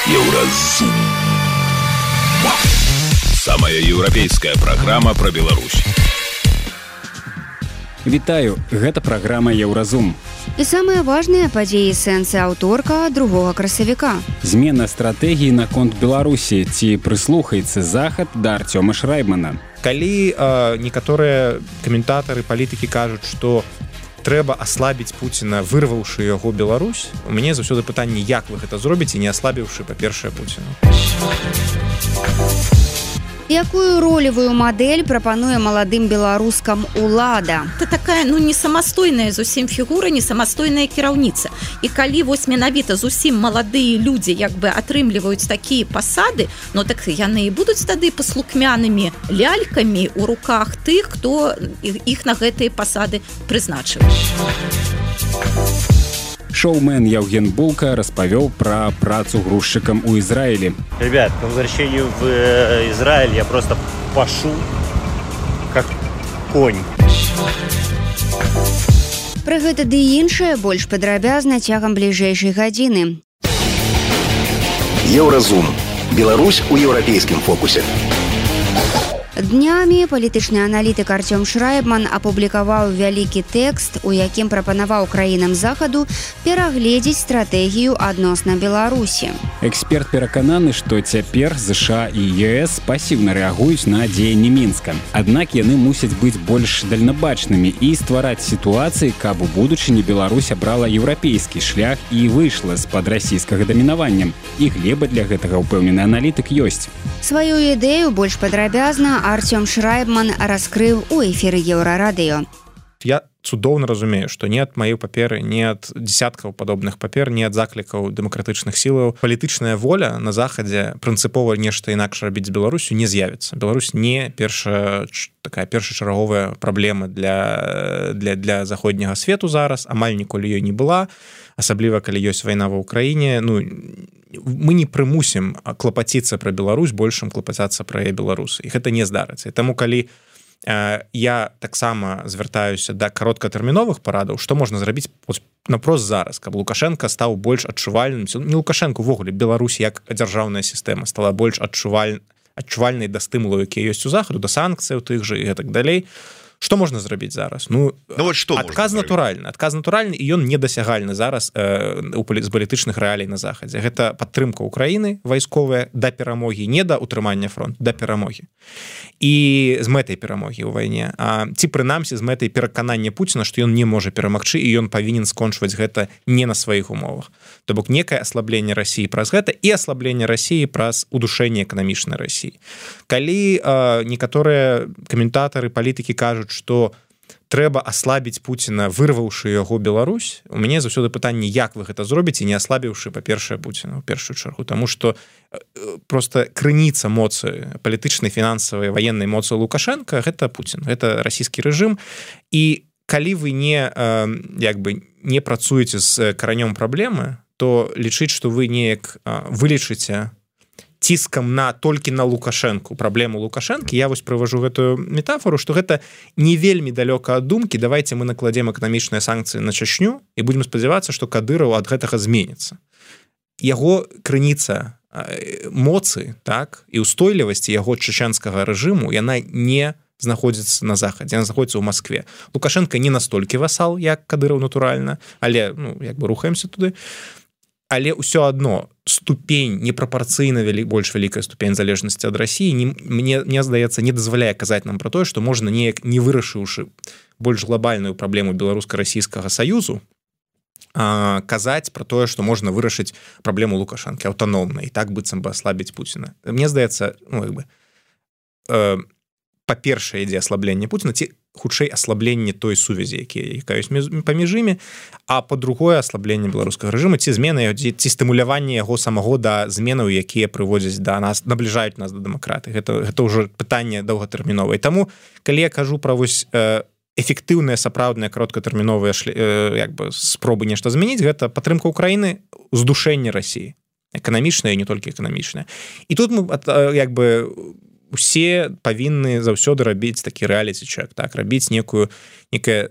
Еўразум. Самая еўрапейская праграма пра Беларусь. Вітаю, гэта праграма Еўразум. І самыя важныя падзеі сэнсы аўторка 2 красавіка. Змена стратэгіі наконт Беларусі, ці прыслухаецца Захад да Артёма Шрайбмана. Калі некаторыя каментатары, палітыкі кажуць, што трэба аслабіць Пуціна, вырваўшы яго Беларусь, у мяне заўсёды пытанне, як вы гэта зробіце, не аслабіўшы, па-першае, Пуціна. Якую ролевую мадэль прапануе маладым беларускам улада? Это такая, не самастойная зусім фігура, не самастойная кіраўніца. І калі вось менавіта зусім маладыя людзі атрымліваюць такія пасады, так яны і будуць тады паслукмянымі лялькамі ў руках тых, хто іх на гэтыя пасады прызначыў. Шоумен Яўген Булка распавёў пра працу грузчыкам у Израиле. Ребят, по возвращению в Израиль я просто пашу как конь. Пра гэта ды іншае больш падрабязна цягам бліжэйшай гадзіны. Еўразум. Беларусь у еўрапейскім фокусе. Днямі палітычны аналітык Артём Шрайбман апублікаваў вялікі тэкст, у якім прапанаваў краінам Захаду перагледзець стратэгію адносна Беларусі. Эксперт перакананы, што цяпер ЗША і ЕС пасіўна рэагуюць на дзеянні Мінска. Аднак яны мусяць быць больш дальнабачнымі і ствараць сітуацыі, каб у будучыні Беларусь абрала еўрапейскі шлях і выйшла з-пад расійскага дамінавання. І глеба для гэтага, упэўнены аналітык, ёсць. Сваю ідэю больш падрабязна Артём Шрайбман раскрыў у эфіры Еўрарадыё. Я цудоўна разумею, што ні ад маёй паперы, ні ад дзясяткаў падобных папер, ні ад заклікаў дэмакратычных сілаў палітычная воля на Захадзе прынцыпова нешта інакш рабіць з Беларусю не з'явіцца. Беларусь не першачарговая праблема для заходняга свету зараз, амаль ніколі ёй не была, асабліва калі ёсць вайна ва ўкраіне. Мы не прымусім клапаціцца пра Беларусь большым клапацацца пра беларусы. І гэта не здарыцца. І таму, калі я таксама звяртаюся да кароткатэрміновых парадаў, што можна зрабіць напрост зараз, каб Лукашенко стаў больш адчувальным, не Лукашенко, увогуле, Беларусь як дзяржаўная сістэма стала больш адчувальнай да стымулаў, якія ёсць у Захаду, да санкцыяў тых жа і гэтак далей. Што можна зрабіць зараз? Адказ натуральны, і ён недасягальны зараз з палітычных рэалій на Захадзе. Гэта падтрымка Украіны вайсковая да перамогі, не да ўтрымання фронту, да перамогі. І з мэтай перамогі ў вайне. Ці прынамсі з мэтай пераканання Пуціна, што ён не можа перамагчы, і ён павінен скончваць гэта не на сваіх умовах. То бок некае аслабленне Расіі праз гэта і аслабленне Расіі праз удушэнне эканамічнай Расіі. Калі некаторыя каментатары, палітыкі кажуць, што трэба аслабіць Пуціна, вырваўшы яго Беларусь, у мяне заўсёды пытанне, як вы гэта зробіце, не аслабіўшы, па-першае, Пуціна, у першую чаргу. Таму што проста крыніца моцы, палітычнай, фінансавай, ваеннай моцы Лукашенка, гэта Пуцін, гэта расійскі рэжым. І калі вы не працуеце з каранём праблемы, то лічыць, што вы неяк вылечыце ціскам толькі на Лукашэнку, праблему Лукашэнкі, я вось прыважу гэтую метафору, што гэта не вельмі далёка ад думкі, давайте мы накладзем эканамічныя санкцыі на Чачню і будзем спадзявацца, што Кадыраў ад гэтага зменіцца. Яго крыніца моцы, і ўстойлівасці яго чачэнскага рэжыму, яна не знаходзіцца на Захадзе, яна знаходзіцца ў Маскве. Лукашенко не настолькі васал, як Кадыраў, натуральна, але рухаемся туды. Але ўсё адно ступень непрапарцыйна больш вялікая ступень залежнасці ад Расіі мне здаецца, не дазваляе казаць нам пра тое, што можна неяк не вырашыўшы больш глобальную праблему беларуска-расійскага саюзу, казаць пра тое, што можна вырашыць праблему Лукашэнкі аўтаномна і так быццам бы аслабіць Пуціна. Мне здаецца, па-першае, ідзе аслабленне Пуціна, ці хутчэй аслабленне той сувязі, якая ёсць паміж імі, а па-другое, аслабленне беларускага рэжыму, ці змена, ці стымуляванне яго самого да зменаў, якія прыводзяць да нас, набліжаюць нас да дэмакраты. Гэта ўжо пытанне доўгатэрміновае. Таму, калі я кажу пра эфектыўныя, сапраўдныя, кароткатэрміновыя спробы нешта змяніць, гэта падтрымка Украіны, здушэнне Расіі. Эканамічнае і не толькі эканамічнае. І тут мы усе павінны заўсёды рабіць такі рэаліці-чэк, рабіць некае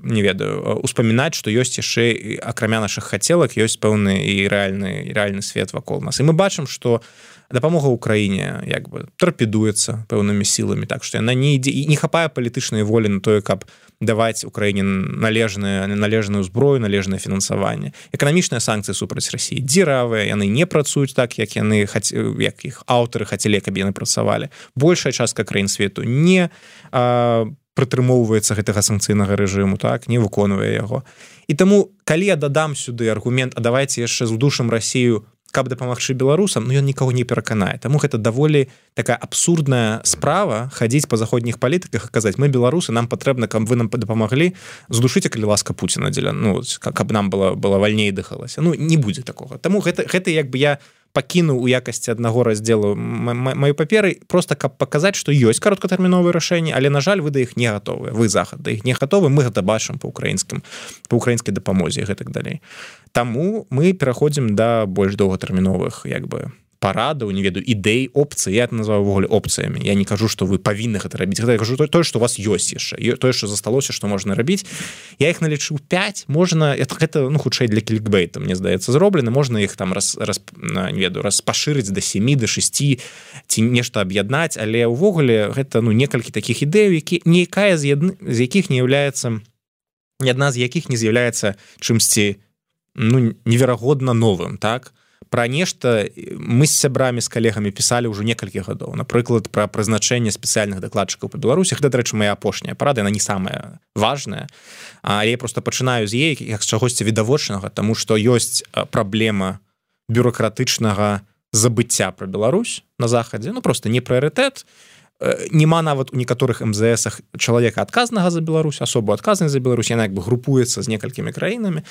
не ведаю успамінаць, што ёсць яшчэ акрамя нашых хацелак ёсць пэўны і рэальны свет вакол нас, і мы бачым, што дапамога ўкраіне як бы тарпедуецца пэўнымі сіламі, так што яна не ідзе і не хапае палітычнай волі на тое, каб даваць Украіне належную зброю, належнае фінансаванне. Эканамічныя санкцыі супраць Расіі дзіравыя, яны не працуюць так, як як іх аўтары хацелі, каб яны працавалі. Большая частка краін свету не прытрымоўваецца гэтага санкцыйнага рэжыму, так, не выконвае яго. І таму, калі я дадам сюды аргумент, а давайце яшчэ здушым Расію, каб дапамагчы беларусам, ён нікого не пераканае. Таму гэта даволі такая абсурдная справа хадзіць па заходніх палітыках і казаць, мы беларусы, нам патрэбна, каб вы нам дапамаглі, здушыце, калі ласка Пуціна дзеля, каб нам было вальней дыхалася. Не будзе такога. Таму гэта як бы я пакінуў у якасці аднаго раздзелу маю паперы, просто каб паказаць, што ёсць кароткатэрміновыя рашэнні, але, на жаль, вы да іх не гатовыя. Вы захад да іх не гатовы, мы гэта бачым па украінскай дапамозе і гэтак далей. Таму мы пераходзім да больш доўгатэрміновых як бы парадаў, не ведаю, ідэй, опцый, я это называю ввогуле опцыямі. Я не кажу, што вы павінны гэта рабіць. Гэта я кажу тое, што у вас ёсць яшчэ, тое, што засталося, што можна рабіць. Я іх налічыў 5, можна, гэта хутчэй для клікбейта, мне здаецца, зроблена, можна іх там не ведаю, распашырыць да 7, да 6 ці нешта аб'яднаць, але ўвогуле гэта некалькі такіх ідэяў, якая з якіх не з'яўляецца, ні адна з якіх не з'яўляецца чымсьці неверагодна новым, так? Пра нешта мы з сябрамі, з калегамі пісалі ўжо некалькі гадоў. Напрыклад, пра прызначэнне спецыяльных дакладчыкаў па Беларусі. Гэта, дарэчы, моя апошняя парада, яна не самая важная, але я просто пачынаю з яе як з чагосьці відавочнага, таму што ёсць праблема бюракратычнага забыцця пра Беларусь на захадзе, просто не прыярытэт. Нема нават у некаторых МЗСах чалавека адказнага за Беларусь, асобу адказнай за Беларусь, яна як бы групуецца з некалькімі краінамі.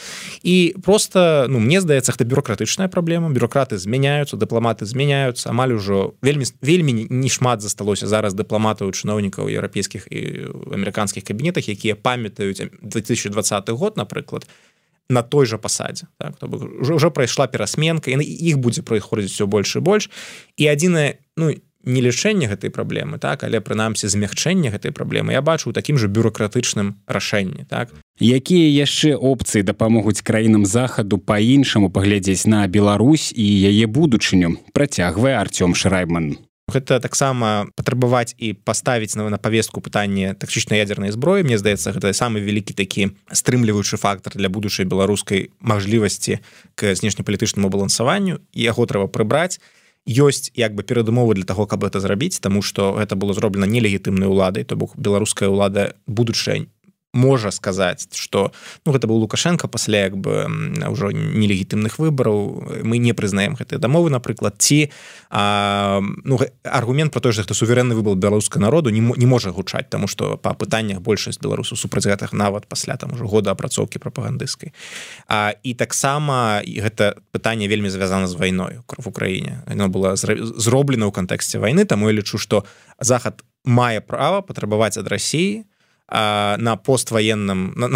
І просто, мне здаецца, гэта бюракратычная праблема. Бюракраты змяняюцца, дыпламаты змяняюцца, амаль ужо вельмі не шмат засталося зараз дыпламатаў, чыноўнікаў еўрапейскіх і амерыканскіх кабінетах, якія памятаюць 2020 год, напрыклад, на той жа пасадзе. Так? Уже прайшла перасменка, і іх будзе праходзіць все больш і больш. І адзінае, не лячэнне гэтай праблемы, так, але прынамсі змягчэнне гэтай праблемы я бачу ў такім жа бюракратычным рашэнні, так. Якія яшчэ опцыі дапамогуць краінам захаду па-іншаму паглядзець на Беларусь і яе будучыню, працягвае Артём Шрайбман. Гэта таксама патрабаваць і паставіць на павестку пытанне тактычнай ядзернай зброі. Мне здаецца, гэта самы вялікі такі стрымліваючы фактар для будучай беларускай мажлівасці к знешнепалітычнаму балансаванню, і яго трэба прыбраць. Ёсць як бы перадумовы для таго, каб гэта зрабіць, таму што гэта было зроблена нелегітымнай уладай, то бок беларуская ўлада будучая можа сказаць, што гэта быў Лукашенко пасля як бы ўжо нелегітымных выбараў, мы не прызнаем гэтыя дамовы, напрыклад, ці аргумент пра тое, што гэта суверэнны выбар беларускага народу не можа гучаць, таму што па пытаннях большасць беларусаў супраць гэтых нават пасля там ужо года апрацоўкі прапагандысцкай. І таксама гэта пытанне вельмі звязана з вайною в Украіне. Яно было зроблена ў кантэксце вайны, таму я лічу, што захад мае права патрабаваць ад Расіі на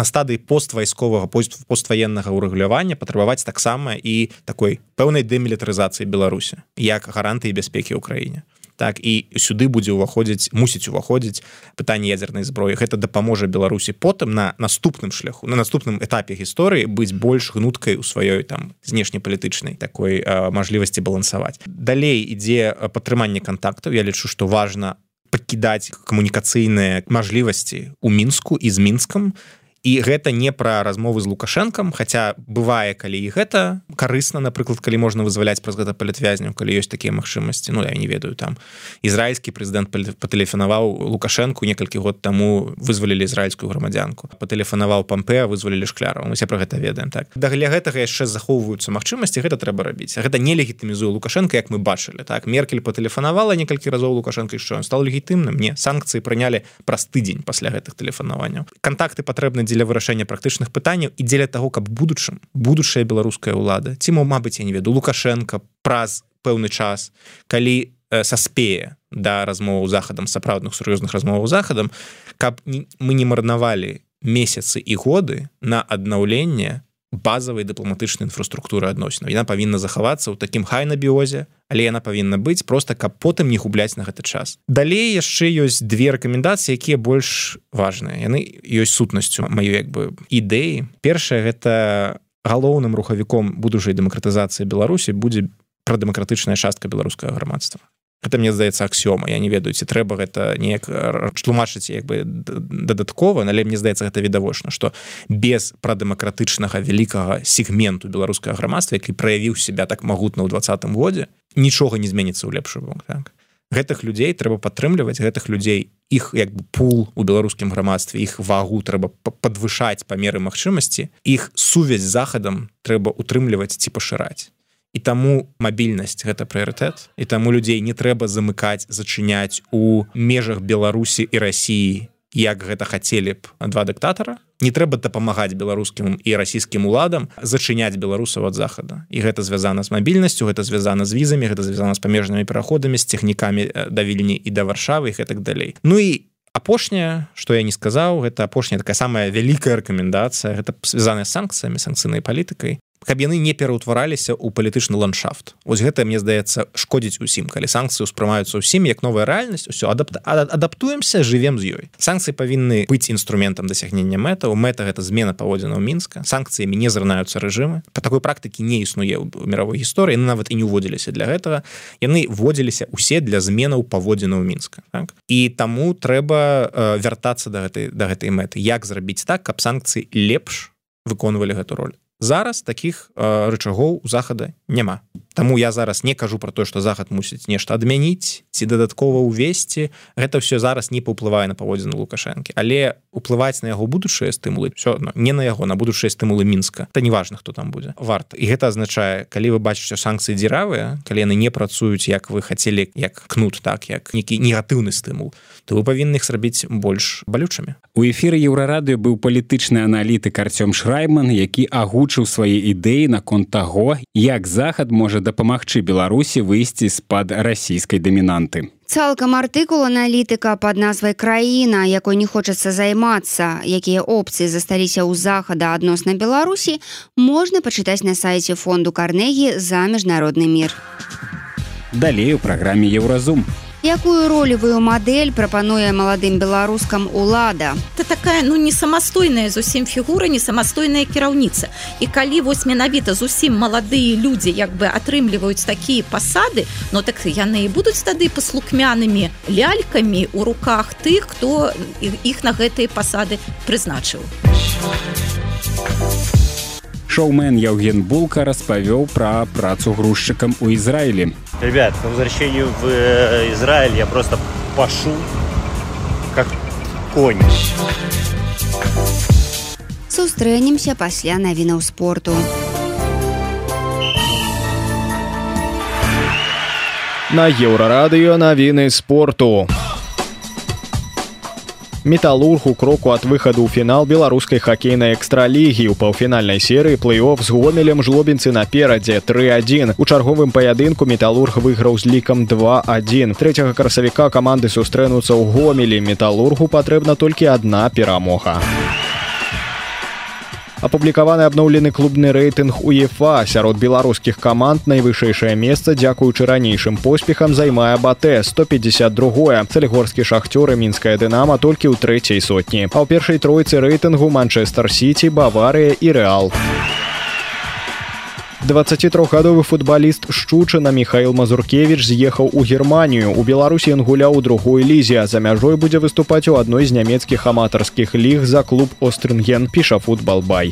стадыі постваеннага ўрэгулявання патрабаваць таксама і такой пэўнай дэмілітарызацыі Беларусі як гарантыі бяспекі ў краіне. Так, і сюды мусіць уваходзіць пытанне ядзернай зброі. Гэта дапаможа Беларусі потым на наступным шляху, на наступным этапе гісторыі быць больш гнуткай у сваёй там знешнепалітычнай такой мажлівасці балансаваць. Далей ідзе падтрыманне кантактаў. Я лічу, што важна пакідаць камунікацыйныя мажлівасці ў Мінску і з Мінскам. І гэта не пра размовы з Лукашэнкам, хаця бывае, калі і гэта карысна, напрыклад, калі можна вызваляць праз гэта палітвязняў, калі ёсць такія магчымасці. Я не ведаю, там ізраільскі прэзідэнт патэлефанаваў Лукашэнку некалькі год таму, вызвалілі ізраільскую грамадзянку. Патэлефанаваў Пампеа, вызвалілі Шклярова. Мы все пра гэта ведаем, так. Для гэтага яшчэ захоўваюцца магчымасці, гэта трэба рабіць. Гэта не легітымізуе Лукашэнка, як мы бачылі, так. Меркель патэлефанавала некалькі разоў Лукашэнка, і што ён стаў легітымным? Не, санкцыі прынялі праз тыдзень пасля гэтых тэлефанаванняў. Кантакты патрэбны дзеля вырашэння практычных пытанняў і дзеля таго, каб будучая беларуская ўлада, ці мабыць, я не веду, Лукашенко праз пэўны час, калі саспее да размоваў захадам, сапраўдных сур'ёзных размоваў захадам, каб мы не марнавалі месяцы і годы на аднаўленне базавай дыпламатычнай інфраструктуры адносінаў. Яна павінна захавацца ў такім хайнабіозе, але яна павінна быць проста, каб потым не губляць на гэты час. Далей яшчэ ёсць две рэкамендацыі, якія больш важныя. Яны ёсць сутнасцю маёй ідэі. Першае, гэта галоўным рухавіком будучай дэмакратызацыі Беларусі будзе прадэмакратычная частка беларускага грамадства. Гэта, мне здаецца, аксіома. Я не ведаю, ці трэба гэта неяк тлумачыць дадаткова, але мне здаецца, гэта відавочна, што без прадэмакратычнага вялікага сегменту беларускага грамадства, які праявіў себя так магутна ў 20-м годзе, нічога не зменіцца ў лепшы бок. Так? Гэтых людзей трэба падтрымліваць, гэтых людзей, іх пул у беларускім грамадстве, іх вагу трэба падвышаць па меры магчымасці, іх сувязь з захадам трэба утрымліваць ці пашыраць. І таму мабільнасць – гэта прыярытэт, і таму людзей не трэба замыкаць, зачыняць у межах Беларусі і Расіі, як гэта хацелі б два дыктатара. Не трэба дапамагаць беларускім і расійскім уладам зачыняць беларусаў ад захада. І гэта звязана з мабільнасцю, гэта звязана з візамі, гэта звязана з памежнымі пераходамі, з тэхнікамі да Вільні і да Варшавы і гэтак далей. Ну і апошняе, што я не сказаў, гэта апошняя такая самая вялікая рэкамендацыя, гэта звязаная з санкцыямі, санкцыйнай палітыкай, каб яны не пераўтвараліся ў палітычны ландшафт. Вось гэта, мне здаецца, шкодзіць усім. Калі санкцыі ўспрымаюцца ўсім як новая рэальнасць, усё, адаптуемся, жывем з ёй. Санкцыі павінны быць інструментам дасягнення мэтаў. Мэта – гэта змена паводзінаў Мінска. Санкцыямі не зрынаюцца рэжымы. Па такой практыкі не існуе ў міровой гісторыі. Яны нават і не ўводзіліся для гэтага. Яны вводзіліся ўсе для зменаў паводзінаў Мінска. Так? І таму трэба вяртацца да гэтай мэты. Як зрабіць так, каб санкцыі лепш выконвалі гэту роль? Зараз такіх рычагоў у захада няма. Таму я зараз не кажу про тое, што захад мусіць нешта адмяніць ці дадаткова ўвесці. Гэта ўсё зараз не паўплывае на паводзіны Лукашэнкі. Але уплываць на яго будучыя стымулы, все адно, не на яго, на будучыя стымулы Мінска. Та неважна, хто там будзе. Варта. І гэта азначае, калі вы бачыце санкцыі дзіравыя, калі яны не працуюць, як вы хацелі, як кнут, так, як нейкі негатыўны стымул, то вы павінны іх зрабіць больш балючымі. У эфіры Еўрарадыё быў палітычны аналітык Артём Шрайбман, які агучыў свае ідэі наконт таго, як захад можа дапамагчы Беларусі выйсці з-пад расійскай дамінанты. Цалкам артыкул аналітыка пад назвай «Краіна, якой не хочацца займацца, якія опцыі засталіся ў захада адносна Беларусі», можна пачытаць на сайце фонду Карнегі «За міжнародны мір». Далей у праграме «Еўразум». Якую ролевую мадэль прапануе маладым беларускам улада? Это такая, не самастойная зусім фігура, не самастойная кіраўніца. І калі вось менавіта зусім маладыя людзі атрымліваюць такія пасады, так яны і будуць тады паслукмянымі лялькамі ў руках тых, хто іх на гэтыя пасады прызначыў. Шоумен Яўген Булка распавёў пра працу грузчыкам у Ізраілі. Ребят, по возвращению в Израиль я просто пашу как конь. Сустрэнемся пасля навінаў спорту. На Еўрарадыё навіны спорту. «Металлург» у кроку ад выхаду ў фінал беларускай хакейнай экстралігі. У паўфінальнай серыі плэй-оф з Гомелем жлобінцы наперадзе 3-1. У чарговым паядынку «Металлург» выйграў з лікам 2-1. 3 красавіка каманды сустрэнуцца ў Гомелі. «Металлургу» патрэбна толькі адна перамога. Апублікаваны абноўлены клубны рэйтынг УЕФА. Сярод беларускіх каманд найвышэйшае месца, дзякуючы ранейшым поспехам, займае БАТЭ 152. Салігорскі «Шахцёр» і мінская «Дынама» толькі ў 3-й сотні. А ў першай тройцы рэйтынгу Манчэстэр Сіці, Баварыя і Рэал. 23-гадовы футбаліст Шчучына Міхаіл Мазуркевіч з'ехаў у Германію. У Беларусі ён гуляў у другой лізе, а за мяжой будзе выступаць у адной з нямецкіх аматарскіх ліг за клуб «Острынген», піша «Футбалбай».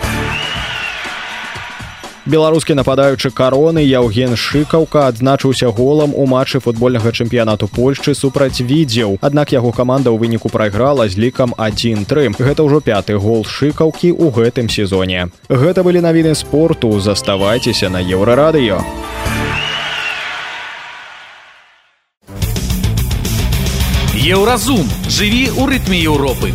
Беларускі нападаючы «Кароны» Яўген Шыкаўка адзначыўся голам у матчы футбольнага чэмпіянату Польшчы супраць Відзеў. Аднак яго каманда ў выніку прайграла з лікам 1-3. Гэта ўжо 5-ты гол Шыкаўкі ў гэтым сезоне. Гэта былі навіны спорту. Заставайцеся на Еўрарадыё. Еўразум. Жыві ў рытме Еўропы.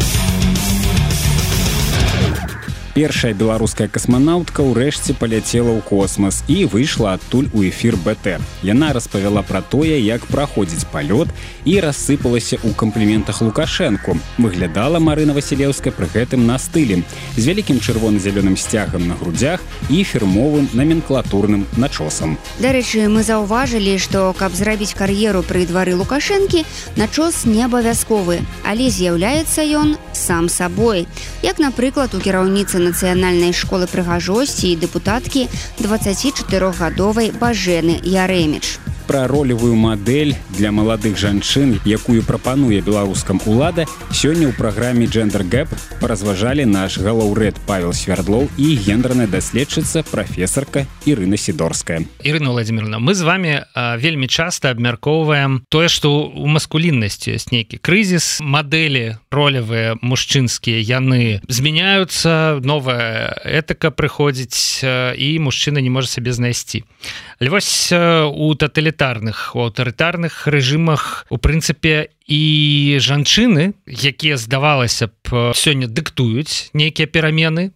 Першая беларуская касманаўтка ўрэшце паляцела ў космас і выйшла адтуль у эфір БТ. Яна распавяла пра тое, як праходзіць палёт і рассыпалася ў кампліментах Лукашэнку. Выглядала Марына Васілеўская пры гэтым на стылі, з вялікім чырвона-зялёным сцягам на грудзях і фірмовым наменклатурным начосам. Дарэчы, мы заўважылі, што каб зрабіць кар'еру пры двары Лукашэнкі, начос не абавязковы, але з'яўляецца ён сам сабой. Як, напрыклад, у кіраўніцы нацыянальнай школы прыгажосці і дэпутаткі 24-гадовай Бажэны Яреміч. Пра ролевую мадэль для маладых жанчын, якую прапануе беларускам улада, сёння ў праграме Gender Gap паразважалі наш галоўрэд Павел Свярдлоў і гендерная даследчыца прафесарка Ірына Сідорская. Ірына Владимировна, мы з вами вельмі часта абмяркоўваем тое, што ў маскуліннасці ёсць нейкі крызіс, мадэлі ролевыя мужчынскія, яны змяняюцца, новая этыка прыходзіць і мужчына не можа сабе знайсці. Але вось у таталітарных, у аўтарытарных рэжымах, у прынцыпе, і жанчыны, якія, здавалася б, сёння дыктуюць нейкія перамены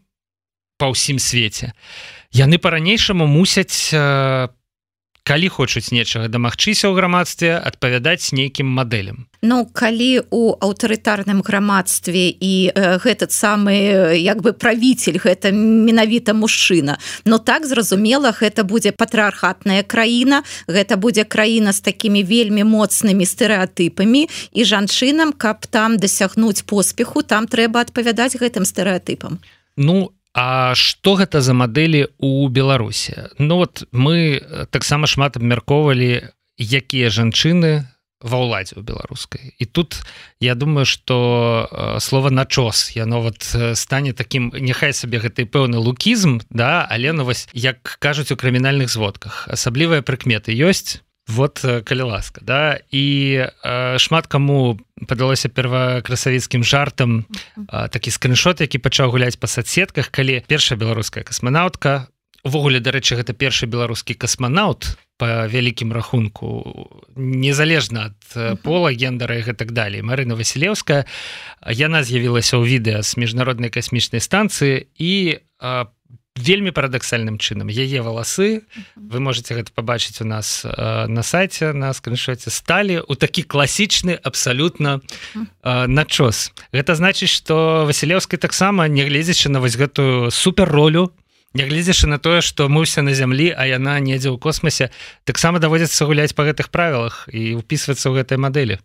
па ўсім свеце, яны па-ранейшаму мусяць, калі хочуць нечага дамагчыся ў грамадстве, адпавядаць нейкім мадэлям. Ну, калі у аўтарытарным грамадстве і гэтый самы, як бы, правіцель, гэта менавіта мужчына, но так, зразумела, гэта будзе патрыархатная краіна, гэта будзе краіна з такімі вельмі моцнымі стэрэатыпамі, і жанчынам, каб там дасягнуць поспеху, там трэба адпавядаць гэтым стэрэатыпам. Ну, а што гэта за мадэлі ў Беларусі? Ну вот мы таксама шмат абмяркоўвалі, якія жанчыны ва ўладзе ў беларускай. І тут я думаю, што слова начос, яно вот стане такім, няхай сабе гэты пэўны лукізм, да, але ну вось, як кажуць у крымінальных зводках, асаблівыя прыкметы ёсць, вот, калі ласка, да, і шмат каму падалося первакрасавіцкім жартам такі скриншот, які пачаў гуляць па соцсетках, калі першая беларуская касманаўтка, увогуле, дарэчы, гэта першы беларускі касманаўт па вялікім рахунку, незалежна ад пола, гендера і гэтак далей, Марына Васілеўская, яна з'явілася ў відэа з міжнароднай касмічнай станцыі і вельмі парадаксальным чынам. Яе валасы, вы можете гэта пабачыць у нас на сайце, на скриншоце, сталі ў такі класічны абсалютна начос. Гэта значыць, што Васілеўскай таксама, нягледзячы на вось гэтую суперролю, нягледзячы на тое, што мы ўсе на зямлі, а яна недзе ў космосе, таксама даводзіцца гуляць па гэтых правілах і ўпісвацца ў гэтай мадэлі.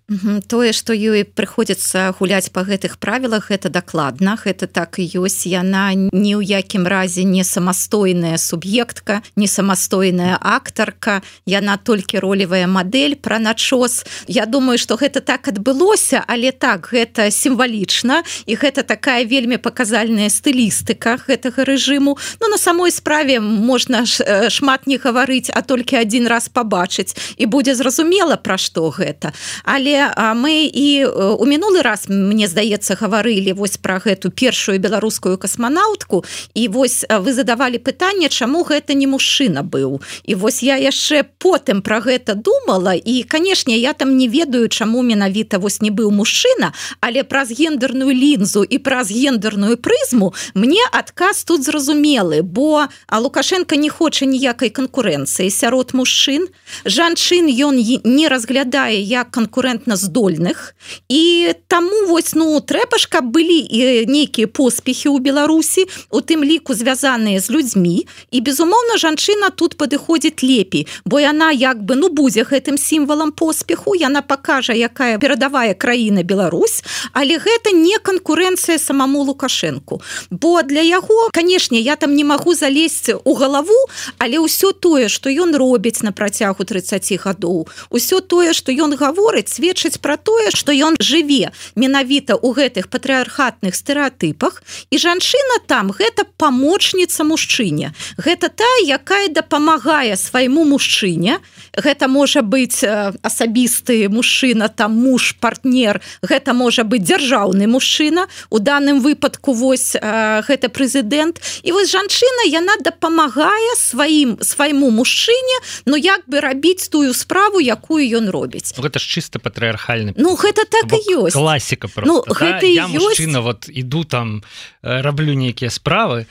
Тое, што ёй прыходзіцца гуляць па гэтых правілах, гэта дакладна, гэта так і ёсць. Яна ні ў якім разе не самастойная суб'ектка, не самастойная актарка, яна толькі ролевая мадэль пра начос. Я думаю, што гэта так адбылося, але так, гэта сімвалічна, і гэта такая вельмі паказальная стылістыка гэтага рэжыму. Ну, на самой справе можна шмат не гаварыць, а толькі адзін раз пабачыць, і будзе зразумела, пра што гэта. Але мы і у мінулы раз, мне здаецца, гаварылі вось пра гэту першую беларускую касманаўтку, і вось вы задавалі пытанне, чаму гэта не мужчына быў. І вось я яшчэ потым пра гэта думала, і, канешне, я там не ведаю, чаму менавіта вось не быў мужчына, але праз гендерную лінзу і праз гендерную прызму мне адказ тут зразумелы, бо Лукашенко не хоча ніякай канкурэнцыі сярод мужчын. Жанчын ён не разглядае як канкурэнтна здольных, і таму вось, ну, трэба ж, каб былі нейкія поспехі ў Беларусі, у тым ліку звязаныя з людзьмі, і, безумоўна, жанчына тут падыходзіць лепей, бо яна як бы, ну, будзе гэтым сімвалам поспеху, яна пакажа, якая перадавая краіна Беларусь, але гэта не канкурэнцыя самому Лукашенку. Бо для яго, канешне, я там не магу залезть у галаву, але ўсё тое, што ён робіць на працягу 30 гадоў, усё тое, што ён гаворыць, сведчыць пра тое, што ён жыве менавіта ў гэтых патрыархатных стэрэатыпах, і жанчына там гэта памочніца мужчыне. Гэта тая, якая дапамагае свайму мужчыне. Гэта можа быць асабісты мужчына, там муж, партнер, гэта можа быць дзяржаўны мужчына, у даным выпадку вось гэта прэзідэнт. І вось жанчына жанчына, яна дапамагае свайму мужчыне, ну як бы рабіць тую справу, якую ён робіць. Гэта ж чыста патрыархальны. Ну гэта так і ёсць. Класіка просто. Ну, да? Я мужчына, вот іду там, раблю нейкія справы,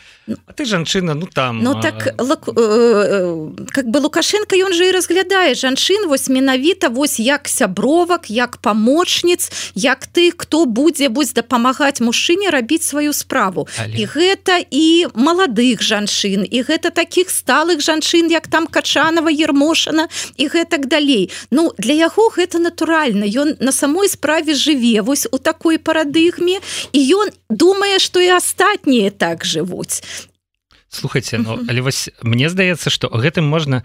а ты жанчына, ну там... Ну так, как бы Лукашенко, ён же і разглядае жанчын, вось менавіта, вось як сябровак, як памочніц, як ты, хто будзе дапамагаць мужчыне рабіць сваю справу. І гэта і маладых жанчын, і гэта такіх сталых жанчын, як там Качанова, Ермошина, і гэтак далей. Ну, для яго гэта натуральна. Ён на самой справе жыве вось у такой парадыгме, і ён думае, што і астатнія так жывуць. Слухайце, ну, але вось мне здаецца, што гэтым можна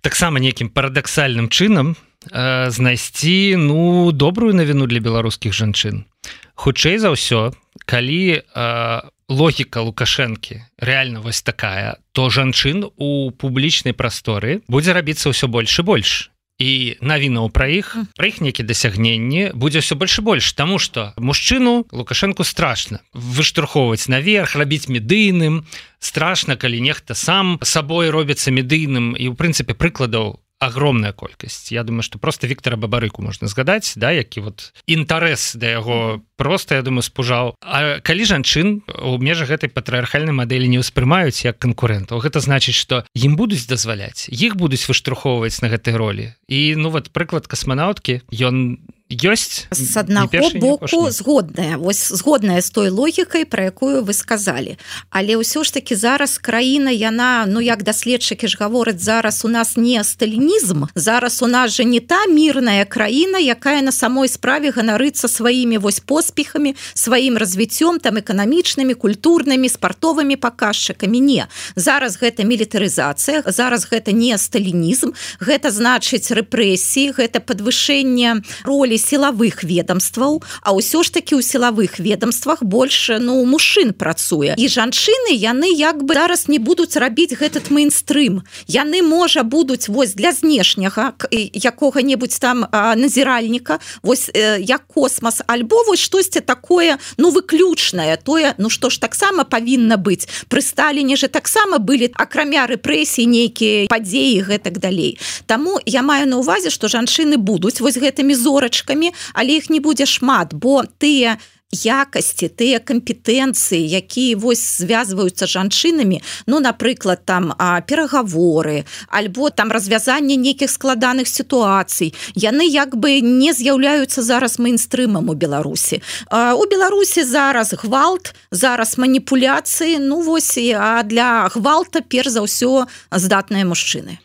таксама нейкім парадаксальным чынам знайсці, ну, добрую навіну для беларускіх жанчын. Хутчэй за ўсё, калі логіка Лукашэнкі рэальна вось такая, то жанчын у публічнай прасторы будзе рабіцца ўсё больш і больш. І навінаў пра іх нейкія дасягненні будзе ўсё больш і больш, таму што мужчыну Лукашэнку страшна выштурхоўваць наверх, рабіць медыйным, страшна, калі нехта сам сабой робіцца медыйным, і ў прынцыпе прыкладаў огромная колькасць. Я думаю, што просто Віктара Бабарыку можна згадаць, да, які вот інтарэс да яго просто, я думаю, спужаў. А калі жанчын у межах гэтай патрыархальнай мадэлі не ўспрымаюць як канкурэнтаў, гэта значыць, што ім будуць дазваляць, іх будуць выштурхоўваць на гэтай ролі. І, ну, вот прыклад касманаўткі, ён ёсць з аднаго боку згодная з той логікай, пра якую вы сказалі, але ўсё ж таки зараз краіна, яна, ну як даследчыкі ж гавораць, зараз у нас не сталінізм, зараз у нас же не та мірная краіна, якая на самой справе ганарыцца сваімі вось поспехамі, сваім развіццём там эканамічнымі, культурнымі, спартовымі паказчыкамі. Не, зараз гэта мілітарызацыя, зараз гэта не сталінізм, гэта значыць рэпрэсіі, гэта падвышэнне ролі сілавых ведомстваў, а ўсё ж такі ў сілавых ведомствах больш, ну, мужчын працуе. І жанчыны, яны як бы зараз не будуць рабіць гэтат мейнстрым. Яны, можа, будуць вось для знешняга якога-небудзь там назіральніка, вось як космас, альбо вось штосьці такое, ну, выключнае, тое, ну, што ж таксама павінна быць. Пры Сталіне же таксама былі, акрамя рэпрэсій, нейкія падзеі, гэтак далей. Таму я маю на ўвазе, што жанчыны будуць вось гэтымі зорачкамі, але іх не будзе шмат, бо тыя якасці, тыя кампетэнцыі, якія вось звязваюцца жанчынамі, ну, напрыклад, там перагаворы, альбо там развязанне нейкіх складаных сітуацый, яны як бы не з'яўляюцца зараз мейнстрымам у Беларусі. У Беларусі зараз гвалт, зараз маніпуляцыі, ну, вось, а для гвалта перш за ўсё здатныя мужчыны.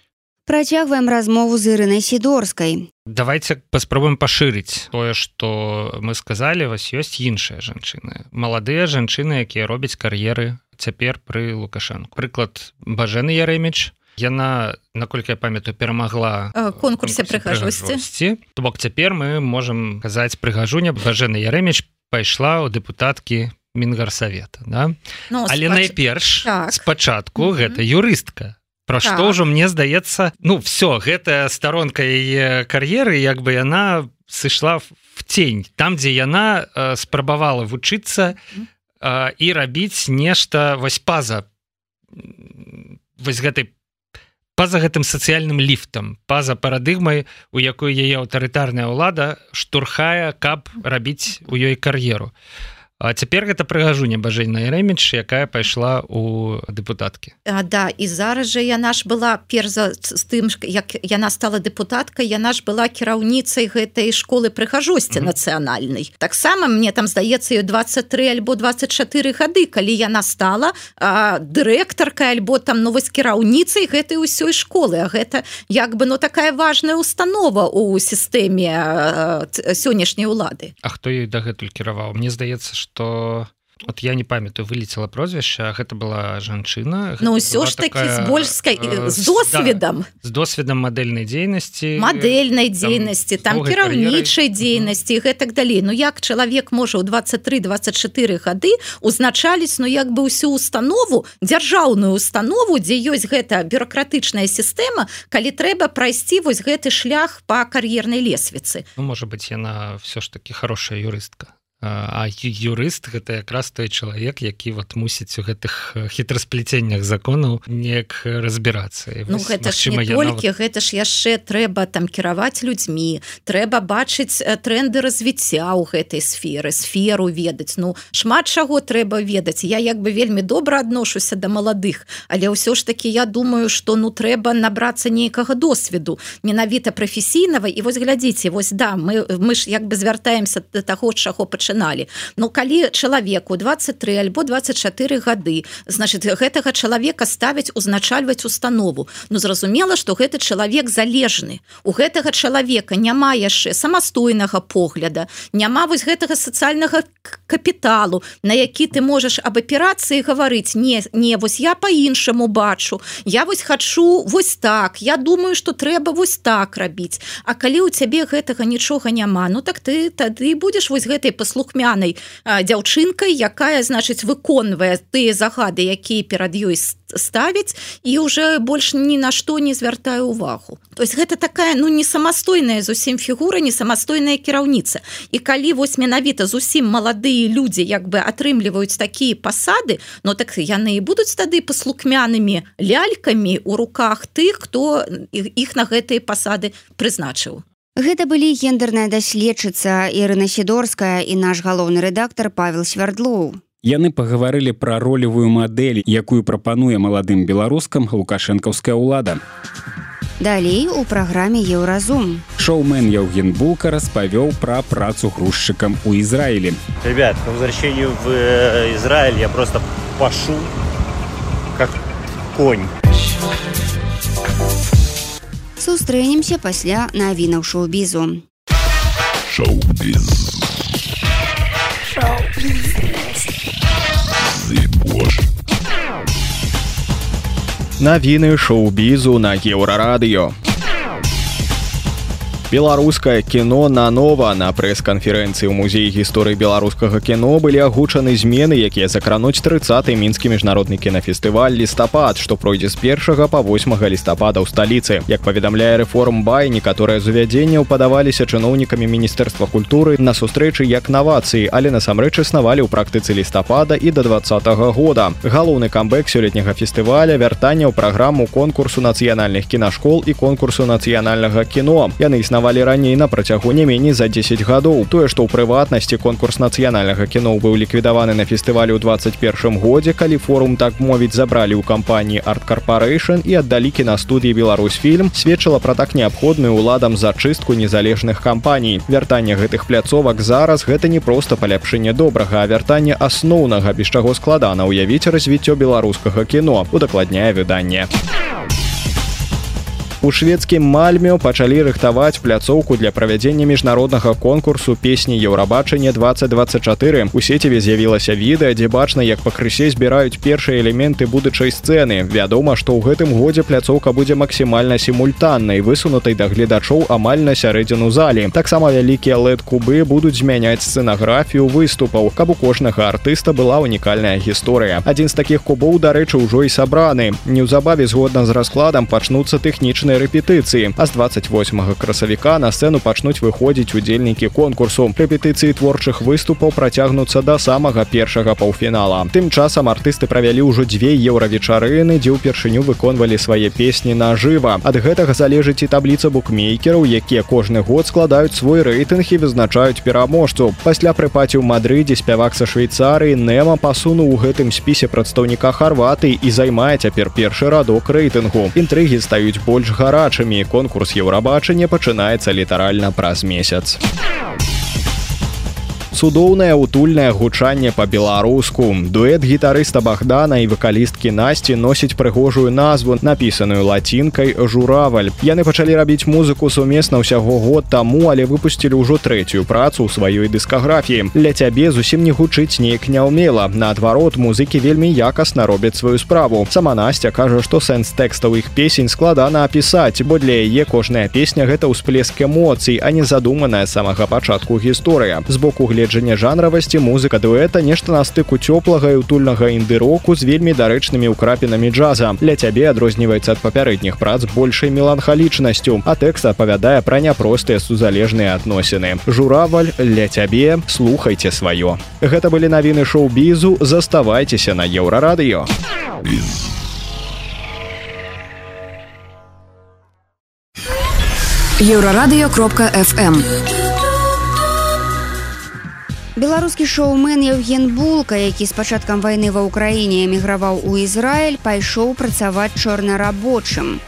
Працягваем размову з Ірынай Сідорскай. Давайте паспрабуем пашырыць тое, што мы сказалі, вось ёсць іншыя жанчыны. Маладыя жанчыны, якія робяць кар'еры цяпер пры Лукашэнку. Прыклад Бажэны Ярэміч. Яна, наколькі я памятаю, перамагла конкурсе прыгажосці. То бок цяпер мы можам казаць прыгажуня. Бажэна Ярэміч пайшла ў дэпутаткі Мінгарсавета. Да? Ну, але найперш, спачатку гэта юрыстка. Пра што ўжо, мне здаецца, ну, все, гэтая старонка яе кар'еры, як бы яна сышла в тень, там, дзе яна спрабавала вучыцца і рабіць нешта вось па-за гэтым сацыяльным ліфтам, па-за парадыгмай, у якой яе аўтарытарная ўлада штурхае, каб рабіць у ёй кар'еру. А цяпер гэта прыгажуня Бажэна Ярэміч, якая пайшла ў дэпутаткі. Да, і зараз жа яна ж была, перш з тым, як яна стала дэпутаткай, яна ж была кіраўніцай гэтай школы прыгажосці нацыянальнай. Таксама, мне там здаецца, ёй 23 альбо 24 гады, калі яна стала дырэктаркай альбо там, ну, вось кіраўніцай гэтай усёй школы. А гэта як бы, ну, такая важная установа ў сістэме сённяшняй улады. А хто ёй дагэтуль кіраваў? Мне здаецца, што вот я не памятаю, вылетела прозвішча, гэта была жанчына. Ну, ўсё ж такі з больскай, з досведам. З досведам мадэльнай дзейнасці. Мадэльнай дзейнасці, там кіраўнічай дзейнасці і гэтак далей. Ну, як чалавек можа ў 23-24 гады узначаліць, ну, як бы ўсю установу, дзяржаўную установу, дзе ёсць гэта бюракратычная сістэма, калі трэба прайсці вось гэты шлях па кар'ернай лесвіцы. Ну, можа быць, яна ўсё ж такі хорошая юрыстка. А юрыст гэта якраз той чалавек, які вот мусіць у гэтых хітрасплеценнях законаў неяк разбірацца. Ну гэта ж не толькі, гэта ж яшчэ трэба там кіраваць людзьмі, трэба бачыць тренды развіцця ў гэтай сферу ведаць. Ну шмат чаго трэба ведаць. Я як бы вельмі добра адношуся да маладых, але ўсё ж таки я думаю, што ну трэба набрацца нейкага досведу, менавіта прафесійнага. І вось глядзіце, вось да, мы ж як бы звяртаемся да таго, чаго пачыналі. Ну калі чалавеку 23 альбо 24 гады, значит гэтага чалавека ставяць узначальваць установу. Ну зразумела, што гэты чалавек залежны. У гэтага чалавека няма яшчэ самастойнага погляда, няма вось гэтага сацыяльнага капіталу, на які ты можаш аб аперацыі гаварыць. Не, вось я по-іншаму бачу, я вось хачу вось так, я думаю, што трэба вось так рабіць. А калі ў цябе гэтага нічога няма, ну так ты тады будзеш вось гэтай паслухмянай дзяўчынкай, якая, значыць, выконвае тыя загады, якія перад ёй ставіць, і уже больш ні на што не звяртае ўвагу. То есть гэта такая, ну, не самастойная зусім фігура, не самастойная кіраўніца. І калі вось менавіта зусім маладыя людзі як бы атрымліваюць такія пасады, ну так яны і будуць тады паслухмянымі лялькамі ў руках тых, хто іх на гэтыя пасады прызначыў. Гэта былі гендерная даследчыца Ірына Сідорская і наш галоўны рэдактар Павел Свярдлоў. Яны пагаварылі пра ролевую мадэль, якую прапануе маладым беларускам лукашэнкаўская ўлада. Далей у праграме «Еўразум». Шоумен Яўген Булка распавёў пра працу грузчыкам у Израиле. Ребят, по возвращению в Израиль я просто пашу как конь. Сустрэнемся пасля навінаў шоу-бізу. Шоу-біз. Навіны шоу-бізу на Еўрарадыё. Беларускае кіно нанова. На прэс-канферэнцыі ў музеі гісторыі беларускага кіно былі агучаны змены, якія закрануць 30-й мінскі міжнародны кінафестываль «Лістапад», што пройдзе з 1 па 8 лістапада ў сталіцы. Як паведамляе Рэформбай, некаторыя з увядзенняў падаваліся чыноўнікамі Міністэрства культуры на сустрэчы як навацыі, але насамрэч існавалі ў практыцы лістапада і да 2020 года. Галоўны камбэк сёлетняга фестываля — вяртанне ў праграму конкурсу нацыянальных кінашкол і конкурсу нацыянальнага кіно. Яны існавалі раней на працягу не меней за 10 гадоў. Тое, што ў прыватнасці конкурс нацыянальнага кіно быў ліквідаваны на фестывалю ў 21 годзе, калі форум, так мовіць, забралі ў кампаніі Art Corporation і аддалі кінастудыі «Беларусьфільм», сведчыла пра так неабходную ўладам зачыстку незалежных кампаній. Вяртанне гэтых пляцовак зараз — гэта не проста паляпшэнне добрага, а вяртанне асноўнага, без чаго складана ўявіць развіццё беларускага кіно, удакладняе выданне. У шведскім Мальме пачалі рыхтаваць пляцоўку для правядзення міжнароднага конкурсу песні «Еўрабачанне 2024». У сеціве з'явілася відэа, дзе бачна, як пакрысе збіраюць першыя элементы будучай сцэны. Вядома, што ў гэтым годзе пляцоўка будзе максімальна сімультаннай, высунутай да гледачоў амаль на сярэдзіну залі. Таксама вялікія LED-кубы будуць змяняць сцэнаграфію выступаў, каб у кожнага артыста была унікальная гісторыя. Адзін з такіх кубоў, дарэчы, ужо і сабраны. Неўзабаве, згодна з раскладам, пачнуцца тэхнічныя рэпетыцыі, а з 28 красавіка на сцэну пачнуць выходзіць удзельнікі конкурсу. Рэпетыцыі творчых выступаў працягнуцца да самага першага паўфінала. Тым часам артысты правялі ўжо 2 еўравечарыны, дзе ўпершыню выконвалі свае песні нажыва. Ад гэтага залежыць і табліца букмейкераў, якія кожны год складаюць свой рэйтынг і вызначаюць пераможцу. Пасля прыпаці ў Мадрыдзе спявак са Швейцарыі Нема пасунуў у гэтым спісе прадстаўніка Харватыі і займае цяпер першы радок рэйтынгу. Інтрыгі стаюць больш гарачымі. Конкурс Еўрабачання пачынаецца літаральна праз месяц. Цудоўнае утульнае гучанне па-беларуску. Дуэт гітарыста Богдана і вакалісткі Насці носіць прыгожую назву, напісаную лацінкай «Жураваль». Яны пачалі рабіць музыку сумесна ўсяго год таму, але выпусцілі ўжо 3-ю працу ў сваёй дыскаграфіі. «Для цябе» зусім не гучыць неяк няўмела. Наадварот, музыкі вельмі якасна робяць сваю справу. Сама Насця кажа, што сэнс тэкстаў іх песень складана апісаць, бо для яе кожная песня — гэта ўсплеск эмоцый, а не задуманая з самага пачатку гісторыя. З боку гледача пагледжання жанравасці, музыка дуэта нешта на стыку цёплага і утульнага інды-року з вельмі дарэчнымі ўкрапінамі джаза. Для цябе адрозніваецца ад папярэдніх прац большай меланхалічнасцю, а тэкст апавядае пра няпростыя сузалежныя адносіны. Жураваль, для цябе, слухайце сваё. Гэта былі навіны шоу-бізу, заставайцеся на Еўрарадыё. Еўрарадыё.фм. Беларускі шоумен Евген Булка, які з пачаткам вайны ва ўкраіне эміграваў у Ізраіль, пайшоў працаваць чорнарабочым.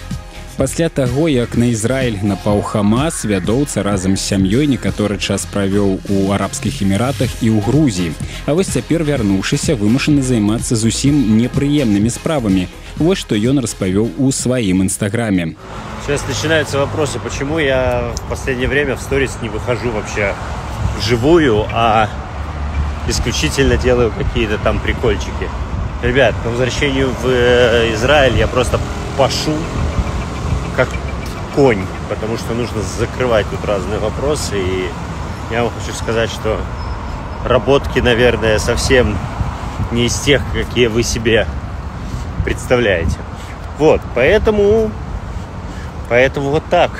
Пасля таго, як на Ізраіль напаў Хамас, вядоўца разам з сям'ёй некаторы час правёў у Арабскіх Эміратах і ў Грузіі. А вось цяпер, вярнуўшыся, вымушаны займацца зусім непрыемнымі справамі. Вот что он распавёў у своим инстаграме. Сейчас начинаются вопросы, почему я в последнее время в сторис не выхожу вообще вживую, а исключительно делаю какие-то там прикольчики. Ребят, по возвращению в Израиль я просто пашу как конь, потому что нужно закрывать тут разные вопросы. И я вам хочу сказать, что работки, наверное, совсем не из тех, какие вы себе представляете. Вот, поэтому вот так.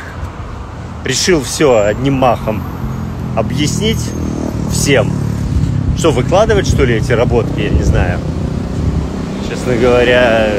Решил все одним махом объяснить всем. Что, выкладывать, что ли, эти работки? Я не знаю. Честно говоря,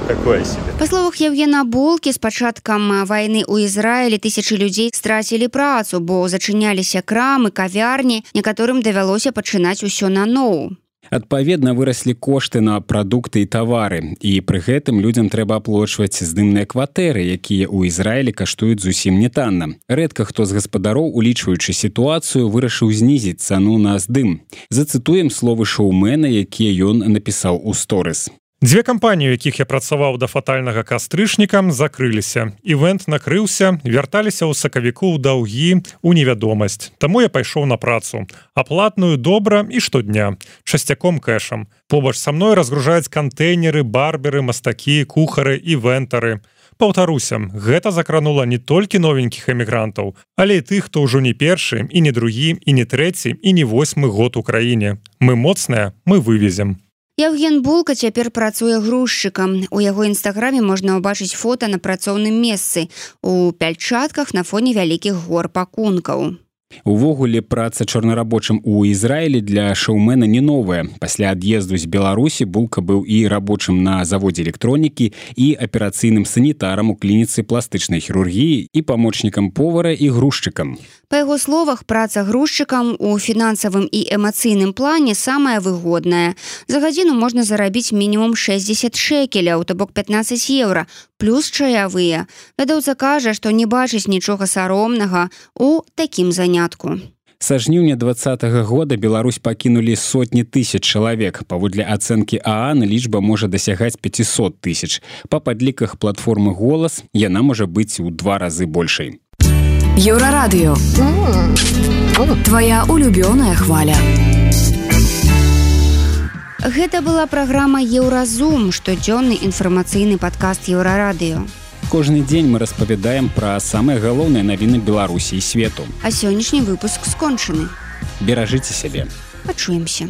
такое себе. Па словах Евгена Булкі, з пачаткам вайны ў Ізраілі тысячы людзей страцілі працу, бо зачыняліся крамы, кавярні, некаторым давялося пачынаць усё наноў. Адпаведна, выраслі кошты на прадукты і тавары, і пры гэтым людзям трэба аплочваць здымныя кватэры, якія ў Ізраілі каштуюць зусім не танна. Рэдка хто з гаспадароў, улічваючы сітуацыю, вырашыў знізіць цану на здым. Зацытуем словы шоумена, якія ён напісаў у сторыс. Дзве кампаніі, у якіх я працаваў да фатальнага кастрычніка, закрыліся. Івент накрыўся, вярталіся ў сакавіку ў даўгі, у невядомасць. Таму я пайшоў на працу. Аплатную добра і штодня. Часцяком кэшам. Побач са мной разгружаюць кантэйнеры, барберы, мастакі, кухары, івентары. Паўтаруся, гэта закранула не толькі новенькіх эмігрантаў, але і тых, хто ўжо не першы, і не другі, і не трэці, і не 8-мы год у краіне. Мы моцныя, мы вывезем. Евген Булка цяпер працуе грузчыкам. У яго інстаграме можна ўбачыць фота на працоўным месцы у Пяльчатках на фоне вялікіх гор пакункаў. Увогуле, праца чорнарабочым у Ізраілі для шоумена не новая. Пасля ад'езду з Беларусі Булка быў і рабочым на заводзе электронікі, і аперацыйным санітарам у клініцы пластычнай хірургіі, і памочнікам повара, і грузчыкам. Па яго словах, праца грузчыкам у фінансавым і эмацыйным плане самая выгодная. За гадзіну можна зарабіць мінімум 60 шекеляў, то бок 15 еўра, плюс чаявыя. Вядоўца кажа, што не бачыць нічога саромнага ў такім занятку. Са жніўня 2020 года Беларусь пакінулі сотні тысяч чалавек. Паводле ацэнкі ААН лічба можа дасягаць 500 тысяч. Па падліках платформы «Голас» яна можа быць у 2 разы большай. Еўрарадыё. Твоя улюбёная хваля. Гэта была праграма «Еўразум», штодзённы інфармацыйны падкаст Еўрарадыё. Кожны дзень мы распавядаем пра самыя галоўныя навіны Беларусі і свету. А сённяшні выпуск скончаны. Беражыце сябе. Пачуемся.